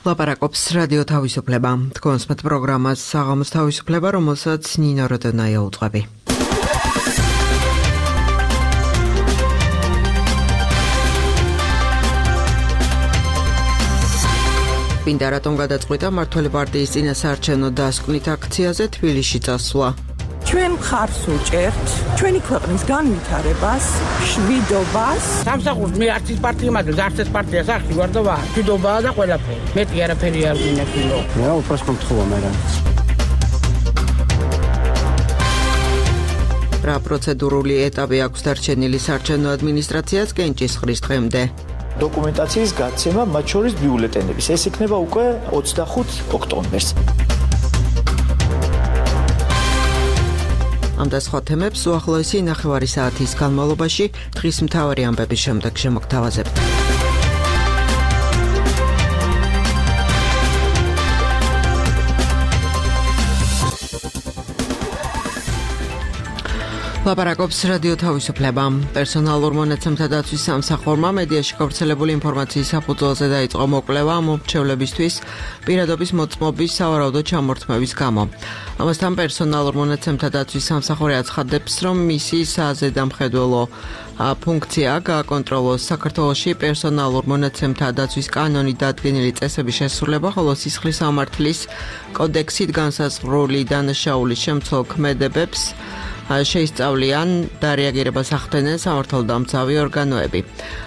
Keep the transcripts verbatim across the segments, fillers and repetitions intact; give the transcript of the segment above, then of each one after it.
ლაპარაკობს რადიო თავისუფლება. თქვენს მათ პროგრამას საღამოს თავისუფლება, რომელსაც ნინო როდონაია უძღვები. Მინდა რატომ გადაწყვიტა მართველი პარტიის წინასაარჩევნო დასკვნით აქციაზე თბილისში წასვლა. ჩვენ მხარს ვუჭერთ ჩვენი ქვეყნის განვითარებას, მშვიდობას. სამსახურს მე არც ის პარტია მაქვს, არც ეს პარტია სახში ვარ და ვარ. მშვიდობაა და ყველაფერი. მეტი არაფერი არ გვინახილო. რა უფროს მომთხოვა მე რა. რა პროცედურული ეტაპი აქვს დარჩენილი საარჩევნო ადმინისტრაციას კენჭისყრის დღემდე? დოკუმენტაციის გაცემა, მათ შორის ბიულეტენების. ეს იქნება უკვე ოცდახუთ ოქტომბერს. ამ და სხვა თემებს უახლოესი ნახევარი საათის განმავლობაში დღის მთავარი ამბების შემდეგ შემოგთავაზებთ. ლაპარაკობს რადიო თავისუფლება. პერსონალურ მონაცემთა დაცვის სამსახურმა მედიაში გავრცელებული ინფორმაციის საფუძველზე დაიწყო მოკვლევა მომრჩევლებისთვის პირადობის მოწმობის სავარაუდო ჩამორთმევის გამო. ამასთან პერსონალურ მონაცემთა დაცვის სამსახური აცხადებს, რომ მისი საზედამხედველო ფუნქცია გააკონტროლოს საქართველოში პერსონალურ მონაცემთა დაცვის კანონით დადგენილი წესების შესრულება, ხოლო სისხლის სამართლის კოდექსით განსაზღვრული დანაშაულის შემცველ ქმედებებს შეისწავლიან და რეაგირებას ახდენენ სამართალდამცავი ორგანოები.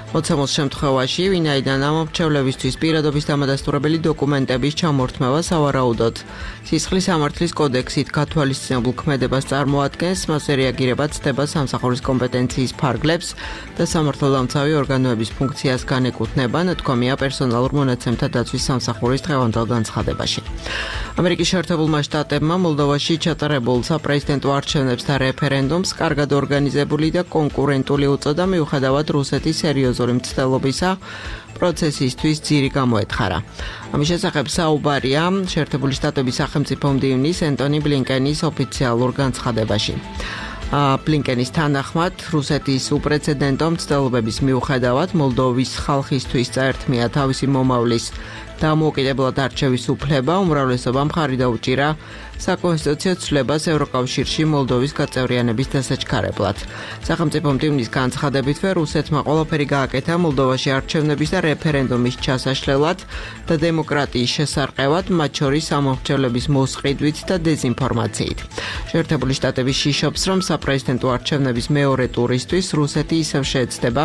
მოცემულ შემთხვევაში, ვინაიდან ამომრჩევლებისთვის პირადობის დამადასტურებელი დოკუმენტების ჩამორთმევა სავარაუდოდ სისხლის სამართლის კოდექსით გათვალისწინებულ ქმედებას წარმოადგენს, მასზე რეაგირება ცდება სამსახურის კომპეტენციის ფარგლებს და სამართალდამცავი ორგანოების ფუნქციას განეკუთვნება, ნათქვამია პერსონალურ მონაცემთა დაცვის სამსახურის დღევანდელ განცხადებაში. ამერიკის შეერთებულმა შტატებმა მოლდოვაში ჩატარებულ საპრეზიდენტო არჩევნებს და რეფერენდუმს კარგად ორგანიზებული და კონკურენტული უწოდა, მიუხედავად რუსეთის სერიოზული მცდელობისა პროცესისთვის ძირი გამოეთხარა. ამის შესახებ საუბარია შეერთებული შტატების სახელმწიფო მდივნის ენტონი ბლინკენის ოფიციალურ განცხადებაში. ბლინკენის თანახმად, რუსეთის უპრეცედენტო მცდელობების მიუხედავად მოლდოვის ხალხისთვის წაერთმია თავისი მომავლის დამოუკიდებლად არჩევის უფლება, უმრავლესობამ ხარი დაუჭირა საკონსტიტუციო ცვლილებას ევროკავშირში მოლდოვის გაწევრიანების დასაჩქარებლად. სახელმწიფო მდივნის განცხადებითვე რუსეთმა ყველაფერი გააკეთა მოლდოვაში არჩევნების და რეფერენდუმის ჩასაშლელად და დემოკრატიის შესარყევად, მათ შორის ამომრჩევლების მოსყიდვით და დეზინფორმაციით. შეერთებული შტატები შიშობს, რომ საპრეზიდენტო არჩევნების მეორე ტურისთვის რუსეთი ისევ შეეცდება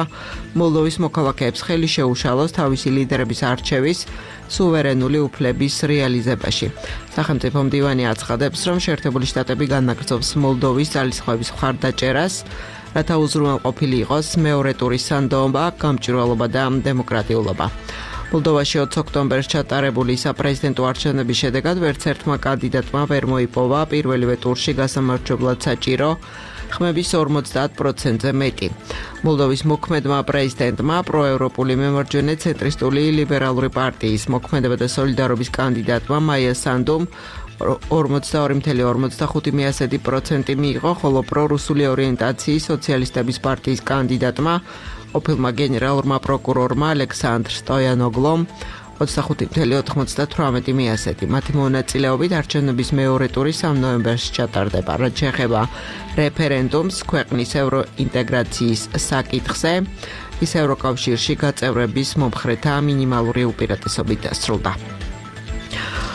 მოლდოვის მოქალაქეებს ხელი შეუშალოს თავისი ლიდერების არჩევის სუვერენული უფლების რეალიზებაში. სახელმწიფო მდივანი აცხადებს, რომ შეერთებული შტატები განაგრძობს მოლდოვის ძალისხმევის მხარდაჭერას, რათა უზრუნველყოფილი იყოს მეორე ტურის სანდოობა, გამჭვირვალობა და დემოკრატიულობა. მოლდოვაში ოცი ოქტომბერს ჩატარებული საპრეზიდენტო არჩევნების შედეგად ვერც ერთმა კანდიდატმა ვერ მოიპოვა პირველივე ტურში გასამარჯვებლად საჭირო ხმების ორმოცდაათ პროცენტზე მეტი. მოლდოვის მოქმედმა პრეზიდენტმა პროევროპული მემარჯვენე ცენტრისტული ლიბერალური პარტიის მოქმედება და სოლიდარობის კანდიდატმა მაია სანდუმ ორმოცდაორი წამლ ორმოცდახუთი პროცენტი მიიღო, ხოლო პრორუსული ორიენტაციის სოციალისტების პარტიის კანდიდატმა ყოფილმა გენერალურმა პროკურორმა ალექსანდრ სტოიანოგლომ ოცდახუთი წამლ ოთხმოცდათვრამეტი პროცენტი. მათი მონაწილეობით არჩევნების მეორე ტური სამ ნოემბერს ჩატარდება. რაც შეეხება რეფერენდუმს ქვეყნის ევროინტეგრაციის საკითხზე, ის ევროკავშირში გაწევრების მომხრეთა მინიმალური უპირატესობით დასრულდა.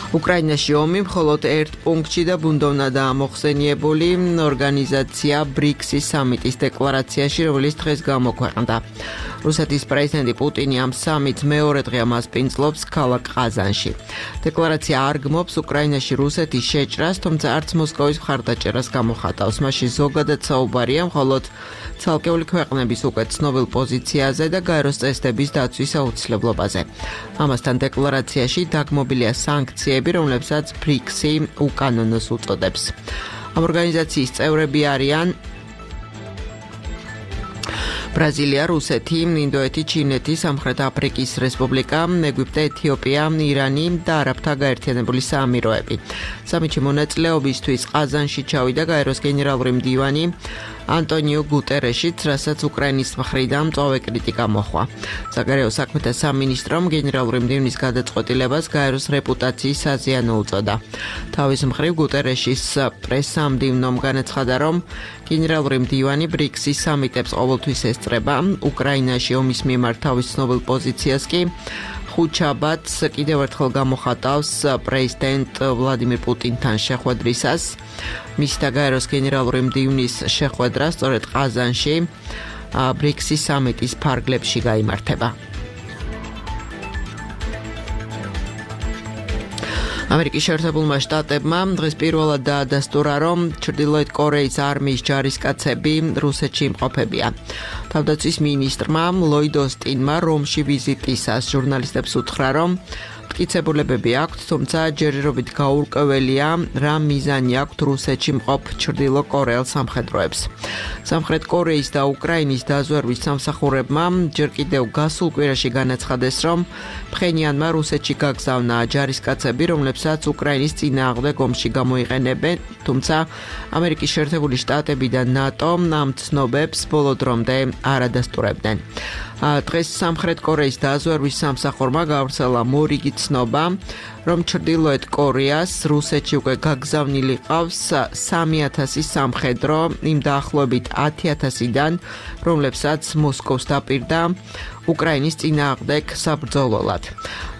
უკრაინაში ომი მხოლოდ ერთ პუნქტში და ბუნდოვნადაა მოხსენიებული ორგანიზაცია ბრიქსის სამიტის დეკლარაციაში, რომელიც დღეს გამოქვეყნდა. რუსეთის პრეზიდენტი პუტინი ამ სამიტს მეორე დღე მასპინძლობს ქალაქ ყაზანში. დეკლარაცია არ გმობს უკრაინაში რუსეთის შეჭრას, თუმცა არც მოსკოვის მხარდაჭერას გამოხატავს. მასში ზოგადად საუბარია მხოლოდ ცალკეული ქვეყნების უკვე ცნობილ პოზიციაზე და გაეროს წესდების დაცვის აუცილებლობაზე. ამასთან დეკლარაციაში დაგმობილია სანქციები, რომლებსაც ბრიქსი უკანონოს უწოდებს. ამ ორგანიზაციის წევრები არიან ბრაზილია, რუსეთი, ინდოეთი, ჩინეთი, სამხრეთ აფრიკის რესპუბლიკა, ეგვიპტე, ეთიოპია, ირანი და არაბთა გაერთიანებული საამიროები. სამიტში მონაწილეობისთვის ყაზანში ჩავიდა გაეროს გენერალური მდივანი ანტონიო გუტერეშიც, რასაც უკრაინის მხრიდან მწვავე კრიტიკა მოჰყვა. საგარეო საქმეთა სამინისტრომ გენერალური მდივნის გადაწყვეტილებას გაეროს რეპუტაციის საზიანო უწოდა. თავის მხრივ გუტერეშის პრესამდივნომ განაცხადა, რომ გენერალური მდივანი ბრიქსის სამიტებს ყოველთვის ესწრება, უკრაინაში ომის მიმართ თავის ცნობილ პოზიციას კი ხუთშაბათს კიდევ ერთხელ გამოხატავს პრეზიდენტ ვლადიმირ პუტინთან შეხვედრისას. მის და გაეროს გენერალური მდივნის შეხვედრა სწორედ ყაზანში ბრიქსის სამიტის ფარგლებში გაიმართება. ამერიკის შეერთებულმა შტატებმა დღეს პირველად დაადასტურა, რომ ჩრდილოეთ კორეის არმიის ჯარისკაცები რუსეთში იმყოფებიან. თავდაცვის მინისტრმა ლოიდ ოსტინმა რომში ვიზიტისას ჟურნალისტებს უთხრა, რომ მტკიცებულებები აქვთ, თუმცა ჯერჯერობით გაურკვეველია, რა მიზანი აქვთ რუსეთში მყოფ ჩრდილო კორეელ სამხედროებს. სამხრეთ კორეის და უკრაინის დაზვერვის სამსახურებმა ჯერ კიდევ გასულ კვირაში განაცხადეს, რომ ფხენიანმა რუსეთში გაგზავნა ჯარისკაცები, რომლებსაც უკრაინის წინააღმდეგ ომში გამოიყენებენ, თუმცა ამერიკის შეერთებული შტატები და ნატო ამ ცნობებს ბოლო დრომდე არ ადასტურებდნენ. დღეს სამხრეთ კორეის დაზვერვის სამსახურმა გავრცელა მორიგი ცნობა, რომ ჩრდილოეთ კორეას რუსეთში უკვე გაგზავნილი ყავს სამი ათასი სამხედრო იმ დაახლოებით ათი ათასიდან, რომლებსაც მოსკოვს დაპირდა უკრაინის წინააღმდეგ საბრძოლველად.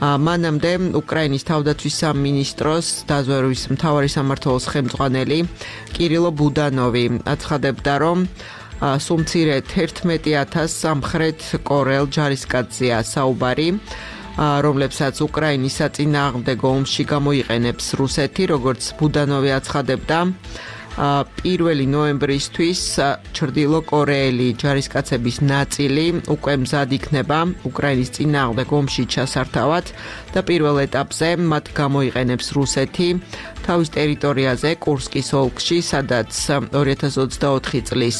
მანამდე უკრაინის თავდაცვის სამინისტროს დაზვერვის მთავარი სამმართველოს ხელმძღვანელი კირილო ბუდანოვი აცხადებდა, რომ სულ მცირედ ერთმეტი ათას სამხრეთ კორეელ ჯარისკაცზეა საუბარი, რომლებსაც უკრაინის საწინააღმდეგო ომში გამოიყენებს რუსეთი, როგორც ბუდანოვი აცხადებდა. პირველი ნოემბრისთვის ჩრდილო კორეელი ჯარისკაცების ნაწილი უკვე მზად იქნება უკრაინის წინააღმდეგ ომში ჩასართავად და პირველ ეტაპზე მათ გამოიყენებს რუსეთი თავის ტერიტორიაზე კურსკის ოლქში, სადაც ორი ათას ოცდაოთხი წლის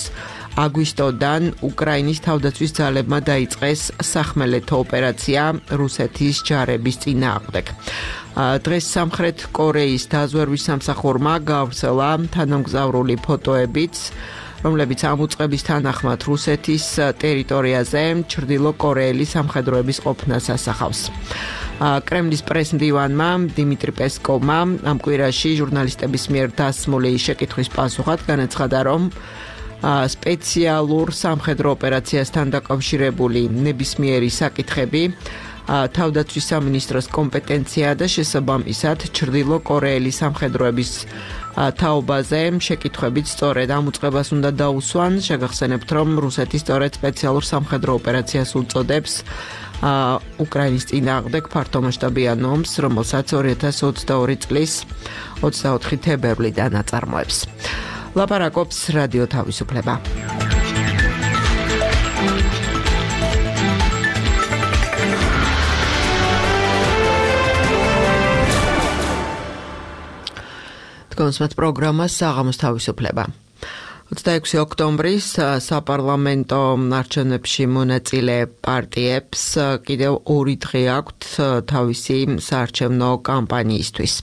აგვისტოდან უკრაინის თავდაცვის ძალებმა დაიწყეს სახმელეთო ოპერაცია რუსეთის ჯარების წინააღმდეგ. დღეს სამხრეთ კორეის დაზვერვის სამსახურმა გავრცელა თანამგზავრული ფოტოებიც, რომლებიც ამ უწყების თანახმად რუსეთის ტერიტორიაზე ჩრდილო კორეელი სამხედროების ყოფნას ასახავს. კრემლის პრესმდივანმა დიმიტრი პესკოვმა ამ კვირაში ჟურნალისტების მიერ დასმული შეკითხვის პასუხად განაცხადა, რომ სპეციალურ სამხედრო ოპერაციასთან დაკავშირებული ნებისმიერი საკითხები თავდაცვის სამინისტროს კომპეტენცია და შესაბამისად ჩრდილო კორეელი სამხედროების თაობაზე შეკითხვებით სწორედ ამ უწყებას უნდა დაუსვან. შეგახსენებთ, რომ რუსეთი სწორედ სპეციალურ სამხედრო ოპერაციას უწოდებს უკრაინის წინააღმდეგ ფართომასშტაბიან ომს, რომელსაც ორი ათას ოცდაორი წლის ოცდაოთხი თებერვლიდან აწარმოებს. ლაპარაკობს რადიო თავისუფლება. თქვენს პროგრამა საღამოს თავისუფლება. ოცდაექვსი ოქტომბრის საპარლამენტო არჩევნებში მონაწილე პარტიებს კიდევ ორი დღე აქვთ თავისი საარჩევნო კამპანიისთვის.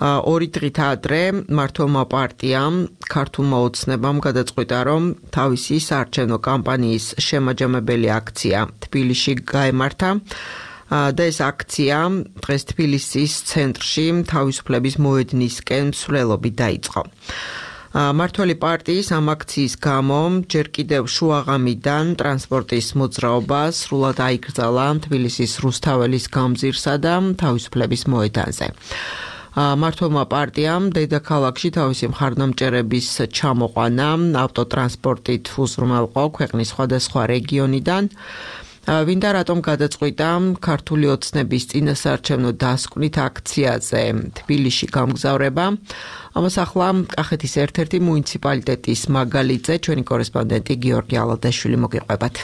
ორი დღით ადრე მართლმა პარტიამ ქართულმა ოცნებამ გადაწყვიტა, რომ თავისი საარჩევნო კამპანიის შემაჯამებელი აქცია თბილისში გაემართა და ეს აქცია დღეს თბილისის ცენტრში თავისუფლების მოედნისკენ მსვლელობით დაიწყო. მართველი პარტიის ამ აქციის გამო ჯერ კიდევ შუაღამიდან ტრანსპორტის მოძრაობა სრულად აიკრძალა თბილისის რუსთაველის გამზირსა და თავისუფლების მოედანზე. მართლმა პარტიამ დედაქალაქში თავისი მხარდამჭერების ჩამოყვანა ავტოტრანსპორტით უზრუნველყო ქვეყნის სხვადასხვა რეგიონიდან. ვინდა რატომ გადაწყვიტა ქართული ოცნების წინასაარჩევნო დასკვნით აქციაზე თბილისში გამგზავრება. ამას ახლა კახეთის ერთ-ერთი მუნიციპალიტეტის მაგალითზე ჩვენი კორესპონდენტი გიორგი ალადაშვილი მოგიყვებათ.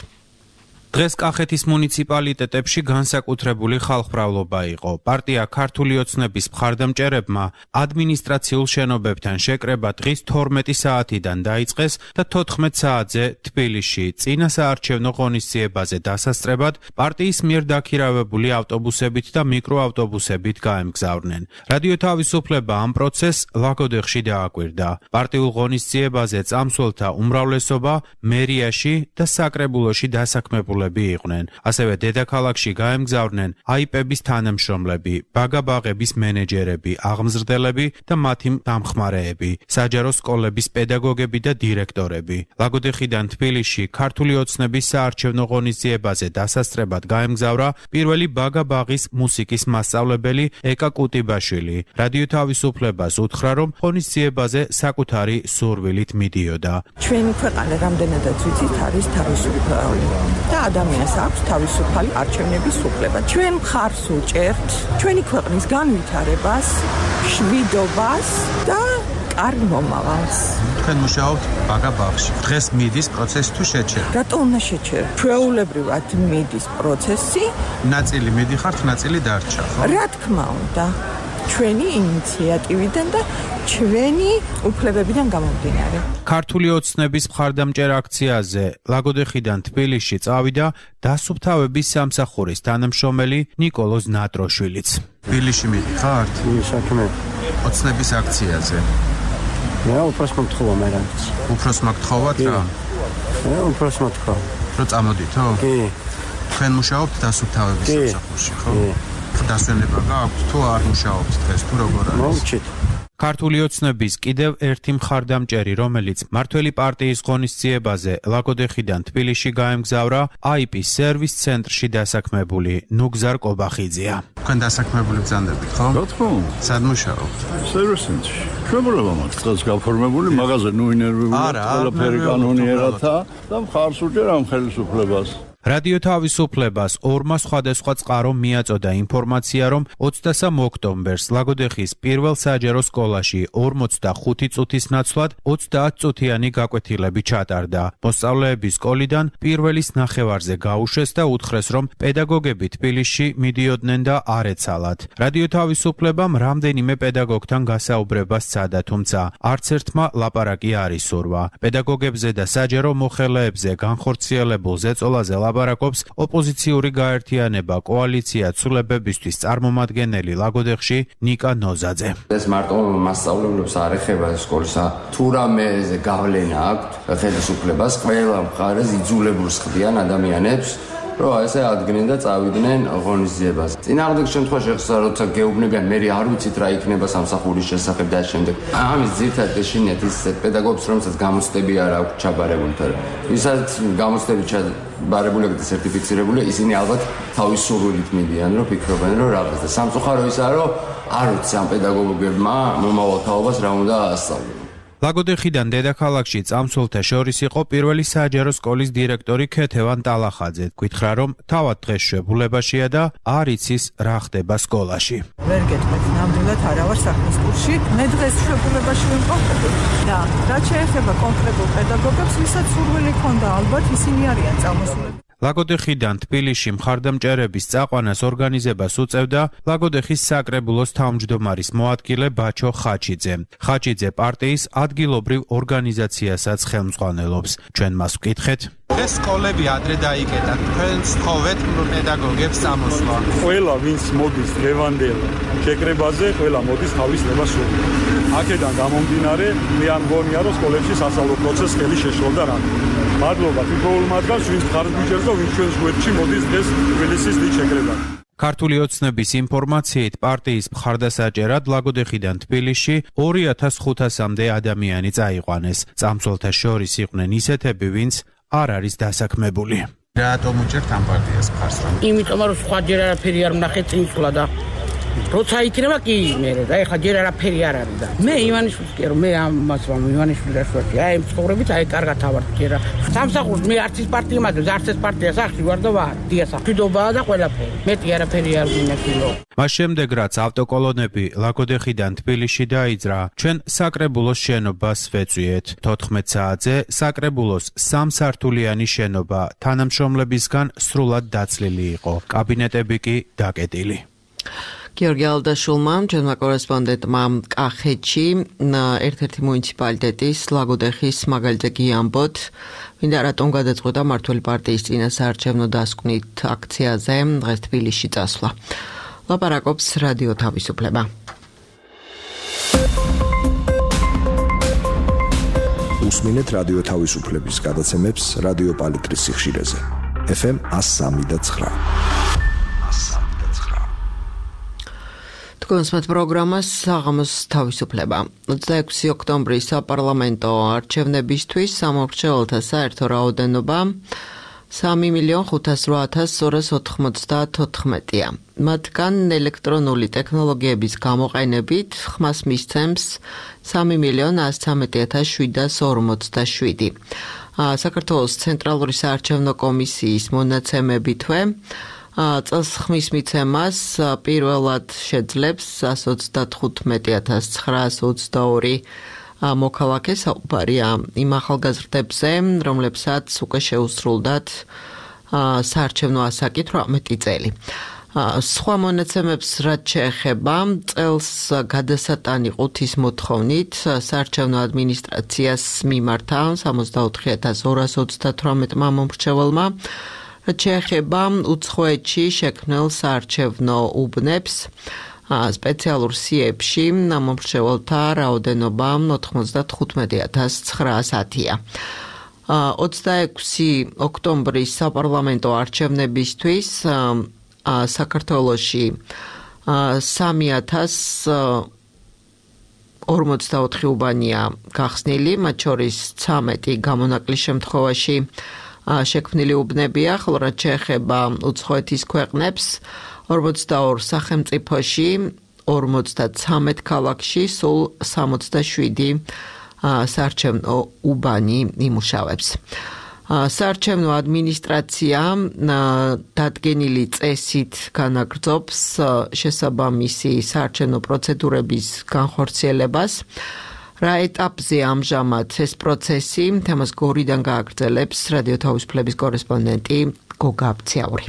დღეს კახეთის მუნიციპალიტეტებში განსაკუთრებული ხალხმრავლობა იყო. პარტია ქართული ოცნების მხარდამჭერებმა ადმინისტრაციულ შენობებთან შეკრება დღის თორმეტი საათიდან დაიწყეს და თოთხმეტ საათზე თბილისში წინა საარჩევნო ღონისძიებაზე დასასწრებად პარტიის მიერ დაქირავებული ავტობუსებით და მიკროავტობუსებით გაემგზავრნენ. რადიო თავისუფლება ამ პროცესს ლაგოდეხში დააკვირდა. პარტიულ ღონისძიებაზე წამსვლელთა უმრავლესობა მერიაში და საკრებულოში დასაქმებულები იყვნენ. ასევე დედაქალაქში გაემგზავრნენ აიპების თანამშრომლები, ბაგაბაღების მენეჯერები, აღმზრდელები და მათი დამხმარეები, საჯარო სკოლების პედაგოგები და დირექტორები. ლაგოდეხიდან თბილისში ქართული ოცნების საარჩევნო ღონისძიებაზე დასასწრებად გაემგზავრა პირველი ბაგაბაღის მუსიკის მასწავლებელი ეკა კუტიბაშვილი. რადიო თავისუფლებას უთხრა, რომ ღონისძიებაზე საკუთარი სურვილით მიდიოდა. ჩვენი ქვეყანა რამდენადაც ვიცით არის თავისუფალი და ადამიანს აქვს თავისუფალი არჩევნების უფლება. ჩვენ მხარს უჭერთ ჩვენი ქვეყნის განვითარებას, მშვიდობას და კარგ მომავალს. თქვენ მუშაობთ ბაგაბაღში. დღეს მიდის პროცესი თუ შეჩერდა? რატო უნდა შეჩერდა? ჩვეულებრივად მიდის პროცესი. ნაწილი მიდიხართ, ნაწილი დარჩა, ხო? რა თქმა უნდა. ჩვენი ინიციატივიდან და ჩვენი უფლებებიდან გამომდინარე. ქართული ოცნების მხარდამჭერ აქციაზე ლაგოდეხიდან თბილისში წავიდა დასუფთავების სამსახურის თანამშრომელი ნიკოლოზ ნატროშვილიც. თბილისში მიდიხართ? საქმე. ოცნების აქციაზე. რა უფროს მოგთხოვა მე რაც. უფროს მოგთხოვათ რა? რა უფროს მოგთხოვა. რო წამოდითო? კი. თქვენ მუშაობთ დასუფთავების სამსახურში, ხო? დასვენება გააქვთ თუ არ მუშაობთ დღეს თუ როგორ არის? მოვჭით. ქართული ოცნების კიდევ ერთი მხარდამჭერი, რომელიც მართველი პარტიის ღონისძიებაზე ლაგოდეხიდან თბილისში გაემგზავრა, აიპის სერვის ცენტრში დასაქმებული ნუგზარ კობახიძეა. თქვენ დასაქმებული ბრძანდებით, ხო? რა თქმა უნდა. სად მუშაობთ? სერვის ცენტრში. ჩვეულებრივ მაქვს დღეს გაფორმებული მაღაზია ნუ ინერვიული ყველაფერი კანონიერათა და მხარს უჭერ ამ ხელისუფლებას. რადიო თავისუფლებას ორმა სხვადასხვა წყარო მიაწოდა ინფორმაცია, რომ ოცდასამ ოქტომბერს ლაგოდეხის პირველ საჯარო სკოლაში ორმოცდახუთი წუთის ნაცვლად ოცდაათ წუთიანი გაკვეთილები ჩატარდა. მოსწავლეები სკოლიდან პირველის ნახევარზე გაუშვეს და უთხრეს, რომ პედაგოგები თბილისში მიდიოდნენ და არ ეცალათ. რადიო თავისუფლებამ რამდენიმე პედაგოგთან გასაუბრება სცადა, თუმცა არც ერთმა ლაპარაკი არ ისურვა. პედაგოგებზე და საჯარო მოხელეებზე განხორციელებულ ზეწოლაზე ლაპარაკობს ოპოზიციური გაერთიანება კოალიცია ცვლილებებისთვის წარმომადგენელი ლაგოდეხში ნიკა ნოზაძე. ეს მარტო მასწავლებლებს არ ეხება სკოლისა, თუ რამეზე გავლენა აქვთ ხელისუფლებას, ყველა მხარეს იძულებულს ხდიან ადამიანებს, რომ ესე ადგენენ და წავიდნენ ღონისძიებაზე. წინააღმდეგ შემთხვევაში ხსა როცა გეუბნებიან, მე არ ვიცით რა იქნება სამსახურის შესახებ და შემდეგ. ამის ძირითადად ეშინიათ ის პედაგოგებს, რომელსაც გამოცდები არ აქვს ჩაბარებული, თორე ვისაც გამოცდები ჩაბარებული და სერტიფიცირებული, ისინი ალბათ თავის სურვილით მიდიან, რომ ფიქრობენ, რომ რაღაც და სამწუხარო ისაა, რომ არ ვიცი ამ პედაგოგებმა მომავალ თაობას რა უნდა ასწავლონ. ლაგოდეხიდან დედაქალაქში წამსვლელთა შორის იყო პირველი საჯარო სკოლის დირექტორი ქეთევან ტალახაძე. გითხრა, რომ თავად დღეს შვებულებაშია და არ იცის რა ხდება სკოლაში. ვერ გეტყვით, ნამდვილად არა ვარ საქმის კურსში. მე დღეს შვებულებაში ვიმყოფები და რაც შეეხება კონკრეტულ პედაგოგებს, ვისაც სურვილი ჰქონდა, ალბათ ისინი არიან წამოსულები. ლაგოდეხიდან თბილისში მხარდამჭერების წაყვანას ორგანიზებას უწევდა ლაგოდეხის საკრებულოს თავმჯდომარის მოადგილე ბაჩო ხაჩიძე. ხაჩიძე პარტიის ადგილობრივ ორგანიზაციასაც ხელმძღვანელობს. ჩვენ მას ვკითხეთ. ეს სკოლები ადრე დაიკეტა. თქვენ სწხოვეთ პედაგოგებს წამოსვლა. ყველა ვინც მოდის დღევანდელ შეკრებაზე, ყველა მოდის თავის ნებას სურვილით. აქედან გამომდინარე, მე არ მგონია, რომ სკოლებში სასწავლო პროცესს ხელი შეშლობდა რა. მადლობა თითოეულ მათგანს, ვინც მხარს მიჭერს და ვინც ჩვენს გვერდში მოდის დღეს თბილისის დიდ შეკრებაზე. ქართული ოცნების ინფორმაციით პარტიის მხარდასაჭერად ლაგოდეხიდან თბილისში ორი ათას ხუთასამდე ადამიანი წაიყვანეს. წამსვლელთა შორის იყვნენ ისეთები, ვინც არ არის დასაქმებული. რატომ უჭერთ ამ პარტიას მხარს? იმიტომ რომ სხვა ჯერ არაფერი არ ვნახე წინსვლა და როცა იქნება კი მე და ეხლა ჯერ არაფერი არ არის და მე ივანიშვილს კი რომ მე ამას რომ ივანიშვილს რაშუაში აი ამ ცხოვრებით აი კარგად ავარ ჯერა სამსახურს მე არც ის პარტია მაქვს არც ეს პარტია სახში ვარ და ვარ დიასა მშვიდობაა და ყველაფერი მეტი არაფერი არ მინახილო მას შემდეგ რაც ავტოკოლონები ლაგოდეხიდან თბილისში დაიძრა ჩვენ საკრებულოს შენობას ვეწვიეთ თოთხმეტ საათზე საკრებულოს სამსართულიანი შენობა თანამშრომლებისგან სრულად დაცლილი იყო კაბინეტები კი დაკეტილი გიორგი ალდაშულმა, ჩვენმა კორესპონდენტმა კახეთში ერთ-ერთი მუნიციპალიტეტის ლაგოდეხის მაგალითზე გიამბოთ, მინდა რატომ გადაწყვიტა მმართველი პარტიის წინასაარჩევნო დასკვნით აქციაზე დღეს თბილისში წასვლა. ლაპარაკობს რადიო თავისუფლება. უსმინეთ რადიო თავისუფლების გადაცემებს რადიო პალიტრის სიხშირეზე. ეფ ემ one oh three point nine თქვენს პროგრამას საღამოს თავისუფლება. ოცდაექვსი ოქტომბრის საპარლამენტო არჩევნებისთვის სამორჩეველთა საერთო რაოდენობა სამი მილიონი ხუთას რვა ათას ორას ოთხმოცდათოთხმეტია. მათგან ელექტრონული ტექნოლოგიების გამოყენებით ხმას მისცემს სამი მილიონი ასი ცხრამეტი ათას შვიდას ორმოცდაშვიდი. საქართველოს ცენტრალური საარჩევნო კომისიის მონაცემებითვე წელს ხმის მიცემას პირველად შეძლებს one hundred thirty-five thousand nine hundred twenty-two მოქალაქე საუბარია იმ ახალგაზრდებზე, რომლებსაც უკვე შეუსრულდათ საარჩევნო ასაკი თვრამეტი წელი. სხვა მონაცემებს რაც შეეხება, წელს გადასატანი ყუთის მოთხოვნით საარჩევნო ადმინისტრაციას მიმართა სამოცდაოთხი ათას ორას ოცდათვრამეტ მომრჩეველმა რაც შეეხება უცხოეთში შექმნილ საარჩევნო უბნებს სპეციალურ სიებში მომრჩეველთა რაოდენობა ოთხმოცდათხუთმეტი ათას ცხრაასია. ოცდაექვსი ოქტომბრის საპარლამენტო არჩევნებისთვის საქართველოში სამი ათას ორმოცდაოთხი უბანია გახსნილი, მათ შორის ცამეტი გამონაკლის შემთხვევაში შექმნილი უბნებია, ხოლო რაც შეეხება უცხოეთის ქვეყნებს, ორმოცდაორ სახელმწიფოში, ორმოცდაცამეტ ქალაქში სულ სამოცდაშვიდი საარჩევნო უბანი იმუშავებს. საარჩევნო ადმინისტრაცია დადგენილი წესით განაგრძობს შესაბამისი საარჩევნო პროცედურების განხორციელებას. რა ეტაპზე ამჟამად ეს პროცესი, თემას გორიდან გააგრძელებს რადიო თავისუფლების კორესპონდენტი გოგა აბციაური.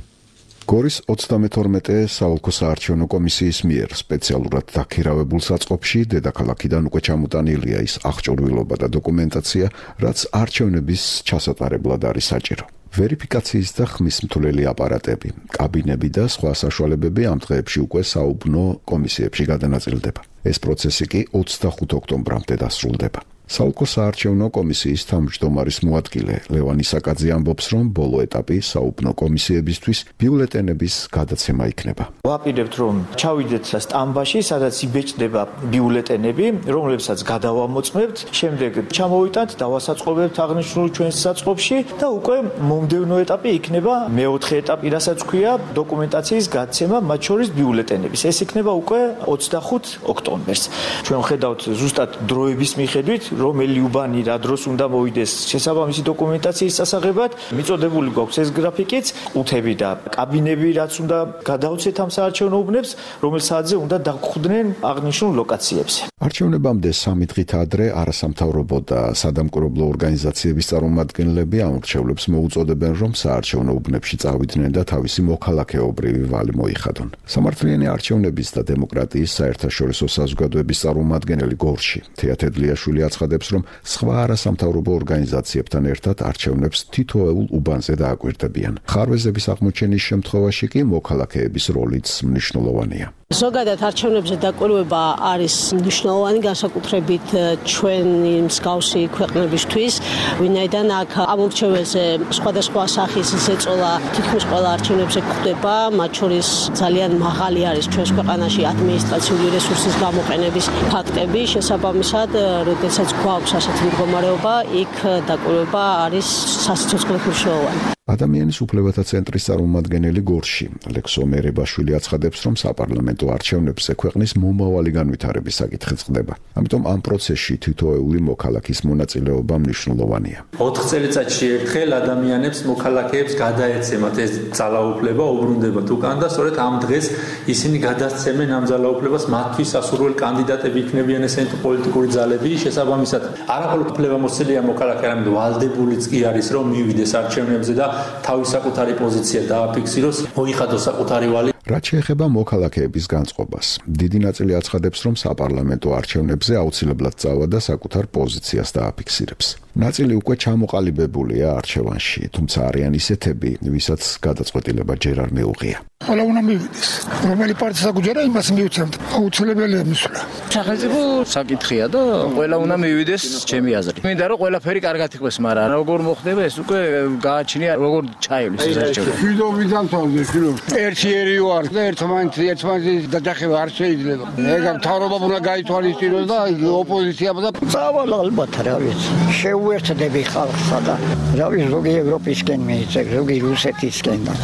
გორის ოცდამეთორმეტე საოლქო საარჩევნო კომისიის მიერ სპეციალურად დაქირავებულ საწყობში დედაქალაქიდან უკვე ჩამოტანილია ის აღჭურვილობა და დოკუმენტაცია, რაც არჩევნების ჩასატარებლად არის საჭირო. ვერიფიკაციის და ხმისმთვლელი აპარატები, კაბინები და სხვა საშუალებები ამ დღეებში უკვე საუბნო კომისიებში გადანაწილდება. ეს პროცესი კი ოცდახუთი ოქტომბრამდე დასრულდება. საოლქო საარჩევნო კომისიის თავმჯდომარის მოადგილე ლევან ისაკაძე ამბობს, რომ ბოლო ეტაპი საუბნო კომისიებისთვის ბიულეტენების გადაცემა იქნება. ვაპირებთ, რომ ჩავიდეთ სტამბაში, სადაც იბეჭდება ბიულეტენები, რომლებსაც გადავამოწმებთ, შემდეგ ჩამოვიტანთ, დავასაწყობებთ აღნიშნულ ჩვენს საწყობში და უკვე მომდევნო ეტაპი იქნება მეოთხე ეტაპი, რასაც ქვია დოკუმენტაციის გადაცემა, მათ შორის ბიულეტენების. ეს იქნება უკვე ოცდახუთი ოქტომბერს. ჩვენ ხედავთ ზუსტად დროების მიხედვით, რომელი უბანი რა დროს უნდა მოვიდეს შესაბამისი დოკუმენტაციის სასაღებად, მიწოდებული გვაქვს ეს გრაფიკიც, ყუთები და კაბინები, რაც უნდა გადავცეთ ამ საარჩევნო უბნებს, რომელ საათზე უნდა დაგხვდნენ აღნიშნულ ლოკაციებზე. არჩევნებამდე სამი დღით ადრე არასამთავრობო და სადამკვირვებლო ორგანიზაციების წარმომადგენლები ამორჩევლებს მოუწოდებენ, რომ საარჩევნო უბნებში წავიდნენ და თავისი მოქალაქეობრივი ვალი მოიხადონ. სამართლიანი არჩევნების და დემოკრატიის საერთაშორისო საზოგადოების წარმომადგენელი გორში თეა თედლიაშვილი აცხადებს, რომ სხვა არასამთავრობო ორგანიზაციებთან ერთად არჩევნებს თითოეულ უბანზე დააკვირდებიან. ხარვეზების აღმოჩენის შემთხვევაში კი მოქალაქეების როლიც მნიშვნელოვანია. ზოგადად არჩევნებზე დაკვირვება არის მნიშვნელოვანი, განსაკუთრებით ჩვენი მსგავსი ქვეყნებისთვის, ვინაიდან აქ ამორჩეველზე სხვადასხვა სახის ზეწოლა თითქმის ყველა არჩევნებზე გვხვდება, მათ შორის ძალიან მაღალი არის ჩვენს ქვეყანაში ადმინისტრაციული რესურსის გამოყენების ფაქტები, შესაბამისად, როდესაც გვაქვს ასეთი მდგომარეობა, იქ დაკვირვება არის სასიცოცხლო მნიშვნელოვანი. ადამიანის უფლებათა ცენტრის წარმომადგენელი გორში ლექსო მერებაშვილი აცხადებს, რომ საპარლამენტო არჩევნებზე ქვეყნის მომავალი განვითარების საკითხი წყდება. ამიტომ ამ პროცესში თითოეული მოქალაქის მონაწილეობა მნიშვნელოვანია. ოთხ წელიწადში ერთხელ ადამიანებს მოქალაქეებს გადაეცემათ ეს ძალაუფლება, უბრუნდებათ უკან და სწორედ ამ დღეს ისინი გადასცემენ ამ ძალაუფლებას, მათთვის სასურველ კანდიდატები იქნებიან ესენი პოლიტიკური ძალები, შესაბამისად არაყოლოდ უფლებამოსილია მოქალაქე, არამედ ვალდებულიც კი არის, რომ მივიდეს არჩევნებზე და თავის საკუთარი პოზიცია დააფიქსიროს, მოიხადოს საკუთარი ვალი. რაც შეეხება მოქალაქეების განწყობას, დიდი ნაწილი აცხადებს, რომ საპარლამენტო არჩევნებზე აუცილებლად წავა და საკუთარ პოზიციას დააფიქსირებს. ნაწილი უკვე ჩამოყალიბებულია არჩევანში, თუმცა არიან ისეთები, ვისაც გადაწყვეტილება ჯერ არ მიუღია. ყველა უნდა მივიდეს. რომელი პარტია გუჯერა იმას მიუცემთ. აუცილებელია მისვლა. სახელმწიფო საკითხია და ყველა უნდა მივიდეს, ჩემი აზრით. მინდა რომ ყველაფერი კარგად იყოს, მაგრამ როგორ მოხდება ეს უკვე გააჩნია, როგორ ჩაივლის ეს არჩევანი. ვიდო ვიდამთავრდე ფილო. ერთიერი ვარ და ერთმანეთს ერთმანეთის დაჯახება არ შეიძლება. ეგ მთავრობამ უნდა გაითვალისწინოს და ოპოზიციამ და წავალ ალბათ რა ვიცი. შეუერთდები ხალხსა და რა ვიცი ზოგი ევროპისკენ მიიწევ, ზოგი რუსეთისკენ და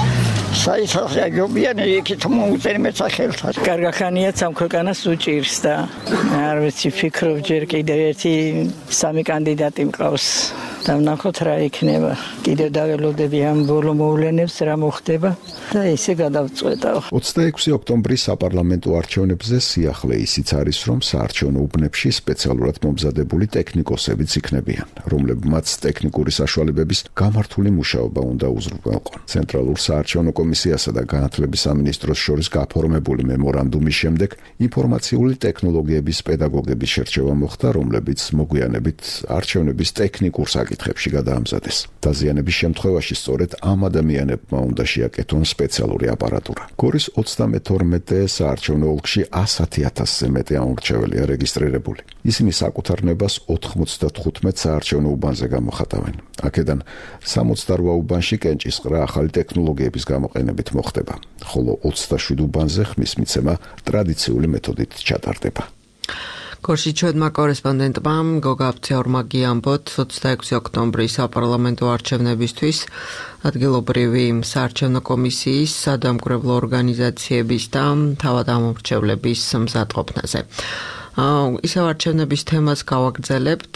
საერთაშორისო იქით მოუწერმეც ახელთან. კარგახანიაც ამ ქვეყანას უჭირს და არ ვიცი ფიქრობ ჯერ კიდევ ერთი სამი კანდიდატი მყავს. და ვნახოთ რა იქნება. კიდევ დაველოდები ამ ბოლო მოვლენებს რა მოხდება და ისე გადავწყვეტავ. ოცდაექვსი ოქტომბრის საპარლამენტო არჩევნებზე სიახლე ისიც არის, რომ საარჩევნო უბნებში სპეციალურად მომზადებული ტექნიკოსებიც იქნებიან, რომლებმაც ტექნიკური საშუალებების გამართული მუშაობა უნდა უზრუნველყონ. ცენტრალურ საარჩევნო კომისიასა და განათლების სამინისტროს შორის გაფორმებული მემორანდუმის შემდეგ ინფორმაციული ტექნოლოგიების პედაგოგების შერჩევა მოხდა, რომლებიც მოგვიანებით არჩევნების ტექნიკურ საკითხებში გადაამზადეს. დაზიანების შემთხვევაში სწორედ ამ ადამიანებმა უნდა შეაკეთონ სპეციალური აპარატურა. გორის ოცდამეთორმეტე საარჩევნო ოლქში ასი ათასზე მეტი ამორჩეველია რეგისტრირებული. ისინი საკუთარ ნებას ოთხმოცდათხუთმეტ საარჩევნო უბანზე გამოხატავენ. აქედან სამოცდარვა უბანში კენჭისყრა ახალი ტექნოლოგიების გამოყენებით მოხდება, ხოლო ოცდაშვიდ უბანზე ხმის მიცემა ტრადიციული მეთოდით ჩატარდება. გორში ჩვენმა კორესპონდენტმა გოგა აფცეორმა გიამბოთ ოცდაექვსი ოქტომბრის საპარლამენტო არჩევნებისთვის ადგილობრივი საარჩევნო კომისიის, სადამკვირვებლო ორგანიზაციების და თავად ამორჩევლების მზადყოფნაზე. ისევ არჩევნების თემას გავაგრძელებთ,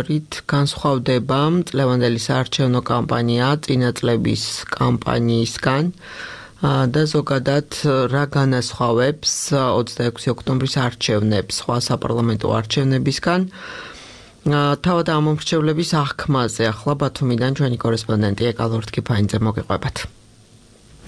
რით განსხვავდება წლევანდელი საარჩევნო კამპანია წინა წლების კამპანიისგან და ზოგადად რა განასხვავებს ოცდაექვსი ოქტომბრის არჩევნებს სხვა საპარლამენტო არჩევნებისგან. თავად ამორჩევლების აღქმაზე ახლა ბათუმიდან ჩვენი კორესპონდენტი ეკალორთქიფაინძე მოგიყვებათ.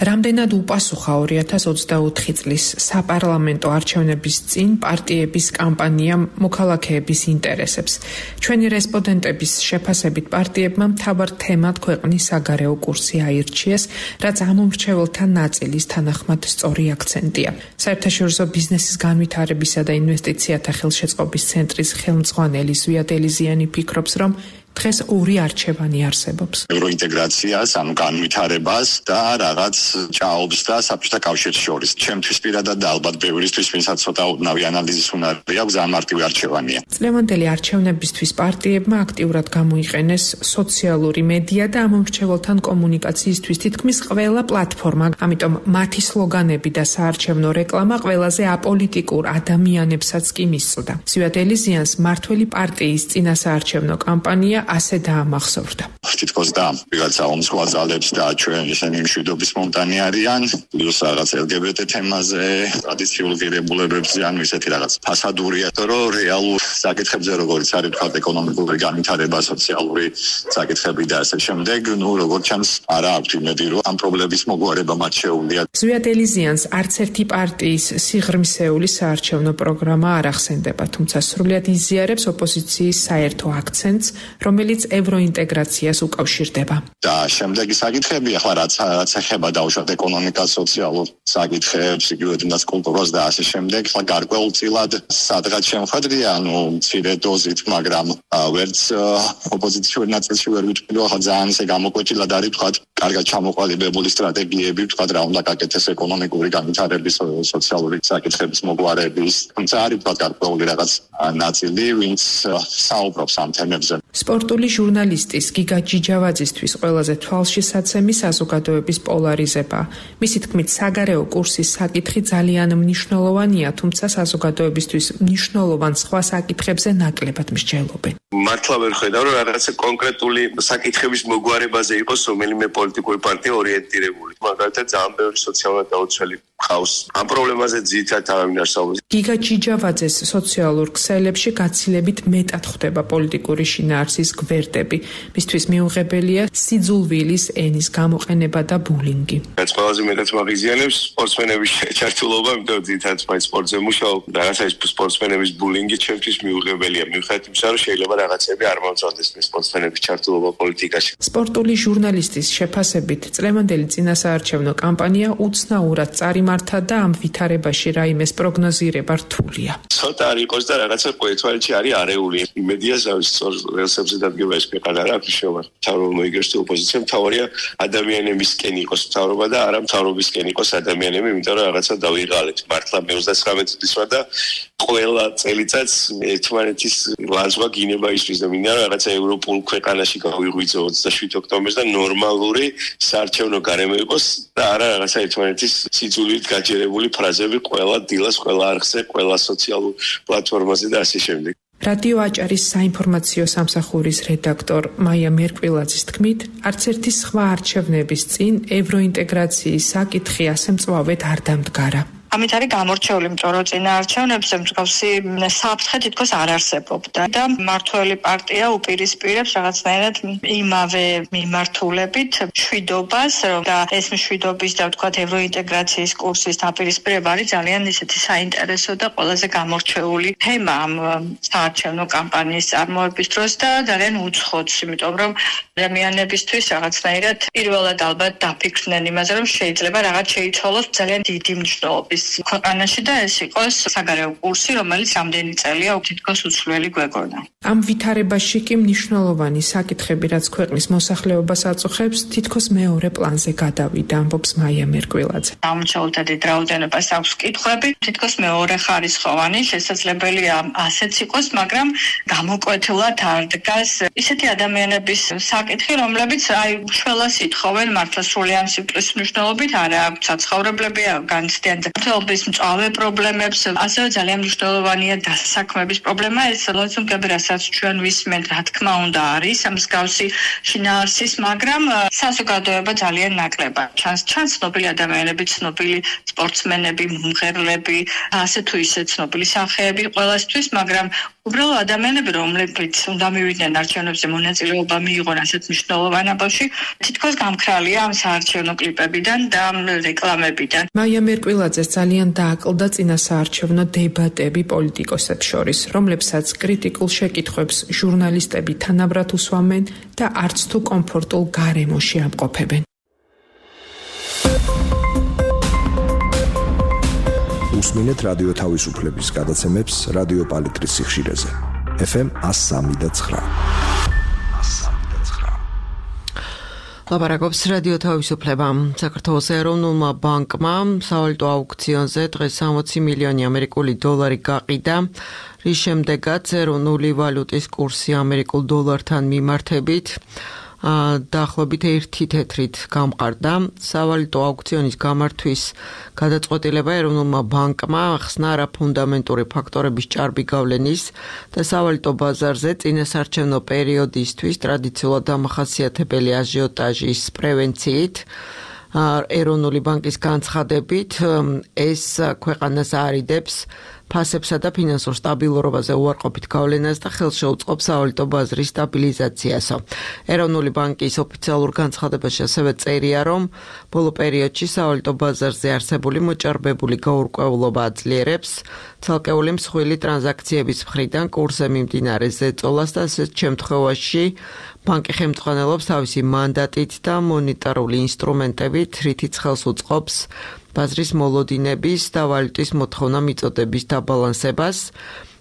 რამდენად უპასუხა ორი ათას ოცდაოთხი წლის საპარლამენტო არჩევნების წინ პარტიების კამპანია მოქალაქეების ინტერესებს. ჩვენი რესპონდენტების შეფასებით პარტიებმა მთავარ თემად ქვეყნის საგარეო კურსი აირჩიეს, რაც ამომრჩეველთა ნაწილის თანახმად სწორი აქცენტია. საერთაშორისო ბიზნესის განვითარებისა და ინვესტიციათა ხელშეწყობის ცენტრის ხელმძღვანელი ზვიად ელიზიანი ფიქრობს, რომ დღეს ორი არჩევანი არსებობს. ევროინტეგრაციას, ანუ განვითარებას და რაღაც ჭაობს და საბჭოთა კავშირს შორის. ჩემთვის პირადად და ალბათ ბევრისთვის, ვინცაც ცოტა უდნავი ანალიზის უნარი აქვს, ძალიან მარტივი არჩევანია. წლევანდელი არჩევნებისთვის პარტიებმა აქტიურად გამოიყენეს სოციალური მედია და ამომრჩეველთან კომუნიკაციისთვის თითქმის ყველა პლატფორმა, ამიტომ მათი სლოგანები და საარჩევნო რეკლამა ყველაზე აპოლიტიკურ ადამიანებსაც კი მისწოდა. ზვიად ელიზიანს მართველი პარტიის წინა საარჩევნო კამპანია ასე დაამახსოვრდა. თითქოს და ვიღაცა ომსხვა ძალებს და ჩვენ ისინი მშვიდობის მომტანი არიან, პლუს რაღაც ელგებეტე თემაზე, ტრადიციულ ღირებულებებზე, ანუ ისეთი რაღაც ფასადურია, რომ რეალურ საკითხებზე როგორც არის თქვა ეკონომიკური განვითარება, სოციალური საკითხები და ასე შემდეგ, ნუ როგორც ჩანს არა აქვს იმედი, რომ ამ პრობლემების მოგვარება მათ შეუძლიათ. ზვიად ელიზიანს არც ერთი პარტიის სიღრმისეული საარჩევნო პროგრამა არ ახსენდება, თუმცა სრულიად იზიარებს ოპოზიციის საერთო აქცენტს, რომელიც ევროინტეგრაციას უკავშირდება. და შემდეგი საკითხები, ახლა რაც რაც ეხება დაუშვათ ეკონომიკას, სოციალურ საკითხებს, იგივე თუნდაც კულტურას და ასე შემდეგ, ახლა გარკვეულწილად სადღაც შემოხვედრია, ანუ მცირე დოზით, მაგრამ ვერც ოპოზიციური ნაწილში ვერ ვიტყვი, ახლა ძალიან ისე გამოკვეთილად არის თქვა კარგად ჩამოყალიბებული სტრატეგიები, თქვა რა უნდა გაკეთდეს ეკონომიკური განვითარების, სოციალური საკითხების მოგვარების, თუმცა არის თქვა გარკვეული რაღაც ნაწილი, ვინც საუბრობს ამ თემებზე. სპორტული ჟურნალისტის გიგა ჯიჯავაძისთვის ყველაზე თვალშისაცემი საზოგადოების პოლარიზება. მისი თქმით, საგარეო კურსის საკითხი ძალიან მნიშვნელოვანია, თუმცა საზოგადოებისთვის მნიშვნელოვან სხვა საკითხებზე ნაკლებად მსჯელობენ. მართლა ვერ ხედავ, რომ რაღაცა კონკრეტული საკითხების მოგვარებაზე იყოს რომელიმე პოლიტიკური პარტია ორიენტირებული. მაგალითად, ძალიან ბევრი სოციალურად დაუცველი ხავს. ამ პრობლემაზე ძირითადად არავინ არ საუბრობს. გიგა ჯიჯავაძეს სოციალურ ქსელებში გაცილებით მეტად ხვდება პოლიტიკური შინაარსის გვერდები. მისთვის მიუღებელია სიძულვილის ენის გამოყენება და ბულინგი. რაც ყველაზე მეტად მაგიზიანებს სპორტსმენების ჩართულობა, იმიტომ რომ ძირითადად სპორტზე მუშაობ. რაღაცა ის სპორტსმენების ბულინგი ჩემთვის მიუღებელია. მიუხედავად იმისა, რომ შეიძლება რაღაცები არ მომწონდეს სპორტსმენების ჩართულობა პოლიტიკაში. სპორტული ჟურნალისტის შეფასებით, წლევანდელი წინასაარჩევნო კამპანია უცნაურად წარიმართა და ამ ვითარებაში რაიმეს პროგნოზირება რთულია. ცოტა არ იყოს და რაღაცა ყოველთვალში არის არეული. იმედია ზავის სწორ რელსებზე დადგება ეს ქვეყანა რა ფიშოვა. მთავრობა მოიგებს თუ ოპოზიცია, მთავარია ადამიანებისკენ იყოს მთავრობა და არა მთავრობისკენ იყოს ადამიანები, იმიტომ რომ რაღაცა დავიღალეთ. მართლა მე ოცდათვრამეტ წლის ვარ და ყველა წელიწადს ერთმანეთის ლაზვა გინება ისთვის და მინდა რომ რაღაცა ევროპულ ქვეყანაში გავიღვიძო ოცდაშვიდ ოქტომბერს და ნორმალური საარჩევნო გარემო იყოს და არა რაღაცა ერთმანეთის სიძულვილით გაჯერებული ფრაზები ყველა დილას, ყველა არხზე, ყველა სოციალურ პლატფორმაზე და ასე შემდეგ. რადიო აჭარის საინფორმაციო სამსახურის რედაქტორ მაია მერკვილაძის თქმით, არც ერთი სხვა არჩევნების წინ ევროინტეგრაციის საკითხი ასე მწვავედ არ დამდგარა. ამით არის გამორჩეული მწორო წინაარჩევნებზე მსგავსი საფრთხე თითქოს არ არსებობდა და მმართველი პარტია უპირისპირებს რაღაცნაირად იმავე მიმართულებით მშვიდობას და ეს მშვიდობის და ვთქვათ ევროინტეგრაციის კურსის დაპირისპირება არის ძალიან ისეთი საინტერესო და ყველაზე გამორჩეული თემა ამ საარჩევნო კამპანიის წარმოების დროს და ძალიან უცხოც, იმიტომ რომ ადამიანებისთვის რაღაცნაირად პირველად ალბათ დაფიქრდნენ იმაზე, რომ შეიძლება რაღაც შეიცვალოს ძალიან დიდი მნიშვნელობის ქვეყანაში და ეს იყოს საგარეო კურსი, რომელიც რამდენი წელია თითქოს უცვლელი გვეგონა. ამ ვითარებაში კი მნიშვნელოვანი საკითხები, რაც ქვეყნის მოსახლეობას აწუხებს, თითქოს მეორე პლანზე გადავიდა, ამბობს მაია მერკვილაძე. ამჩაულთა დიდ რაოდენობას აქვს კითხვები, თითქოს მეორე ხარისხოვანი, შესაძლებელია ასეც იყოს, მაგრამ გამოკვეთილად არ დგას ისეთი ადამიანების საკითხი, რომლებიც აი შველას ითხოვენ მართლა სრულიად სიმპლის მნიშვნელობით, არა აქვს საცხოვრებლები, განცდიან მწვავების მწვავე პრობლემებს, ასევე ძალიან მნიშვნელოვანია დასაქმების პრობლემა, ეს ლოცუნგები, რასაც ჩვენ ვისმენთ, რა თქმა უნდა არის ამ მსგავსი შინაარსის, მაგრამ საზოგადოება ძალიან ნაკლებად ჩანს, ჩანს ცნობილი ადამიანები, ცნობილი სპორტსმენები, მომღერლები, ასე თუ ისე ცნობილი სახეები ყველასთვის, მაგრამ უბრალოდ ადამიანები, რომლებიც უნდა მივიდნენ არჩევნებზე მონაწილეობა მიიღონ ასეთ მნიშვნელოვან ამბავში, თითქოს გამქრალია ამ საარჩევნო კლიპებიდან და რეკლამებიდან. მაია მერკვილაძეს ძალიან დააკლდა წინასაარჩევნო დებატები პოლიტიკოსებს შორის, რომლებსაც კრიტიკულ შეკითხვებს ჟურნალისტები თანაბრად უსვამენ და არც თუ კომფორტულ გარემოში ამყოფებენ. უსმინეთ რადიო თავისუფლების გადაცემებს რადიო პალიტრის სიხშირეზე. ეფ ემ one oh three point nine. ლაპარაკობს რადიო თავისუფლება. საქართველოს ეროვნულმა ბანკმა სავალუტო აუქციონზე დღეს სამოცი მილიონი ამერიკული დოლარი გაყიდა, რის შემდეგაც ეროვნული ვალუტის კურსი ამერიკულ დოლართან მიმართებით დაახლოებით ერთი თეთრით გამყარდა. სავალუტო აუქციონის გამართვის გადაწყვეტილება ეროვნულმა ბანკმა ახსნა არაფუნდამენტური ფაქტორების ჭარბი გავლენის და სავალუტო ბაზარზე წინასაარჩევნო პერიოდისთვის ტრადიციულად დამახასიათებელი აჟიოტაჟის პრევენციით. ეროვნული ბანკის განცხადებით, ეს ქვეყანას არიდებს ფასებსა და ფინანსურ სტაბილურობაზე უარყოფით გავლენას და ხელს შეუწყობს სავალუტო ბაზრის სტაბილიზაციასო. ეროვნული ბანკის ოფიციალურ განცხადებაში ასევე წერია, რომ ბოლო პერიოდში სავალუტო ბაზარზე არსებული მოჭარბებული გაურკვევლობა აძლიერებს ცალკეული მსხვილი ტრანზაქციების მხრიდან კურსზე მიმდინარე ზეწოლას და ასეთ შემთხვევაში ბანკი ხელმძღვანელობს თავისი მანდატით და მონეტარული ინსტრუმენტებით, რითიც ხელს უწყობს ბაზრის მოლოდინების და ვალუტის მოთხოვნა მიწოდების დაბალანსებას.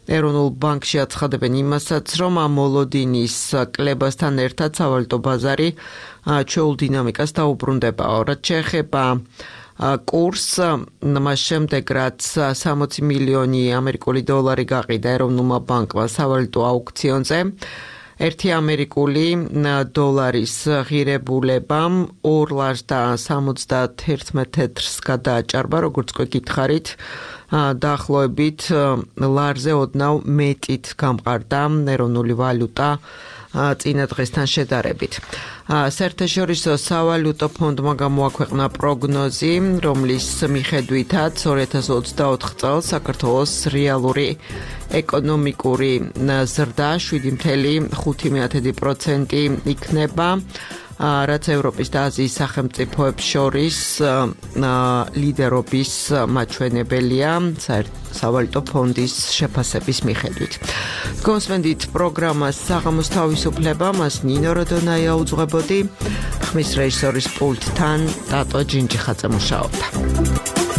ეროვნულ ბანკში აცხადებენ იმასაც, რომ ამ მოლოდინის კლებასთან ერთად სავალუტო ბაზარი ჩვეულ დინამიკას დაუბრუნდებაო. რაც შეეხება კურსს, მას შემდეგ რაც სამოცი მილიონი ამერიკული დოლარი გაყიდა ეროვნულმა ბანკმა სავალუტო აუქციონზე, ერთი ამერიკული დოლარის ღირებულებამ ორ ლარს და სამოცდაათერთმეტ თეთრს გადააჭარბა, როგორც გითხარით, დაახლოებით ლარზე ოდნავ მეტით გამყარდა ეროვნული ვალუტა წინა დღესთან შედარებით. საერთაშორისო სავალუტო ფონდმა გამოაქვეყნა პროგნოზი, რომლის მიხედვითაც ორი ათას ოცდაოთხ წელს საქართველოს რეალური ეკონომიკური ზრდა შვიდი ფاصლე ხუთი პროცენტი იქნება, რაც ევროპის და აზიის სახელმწიფოებს შორის ლიდერობის მაჩვენებელია სავალუტო ფონდის შეფასების მიხედვით. გოსმენდით პროგრამას საღამოს თავისუფლება, მას ნინო როდონაია უძღვებოდი, ხმის რეჟისორის პულტთან ტატო ჯინჯიხაძე მუშაობდა.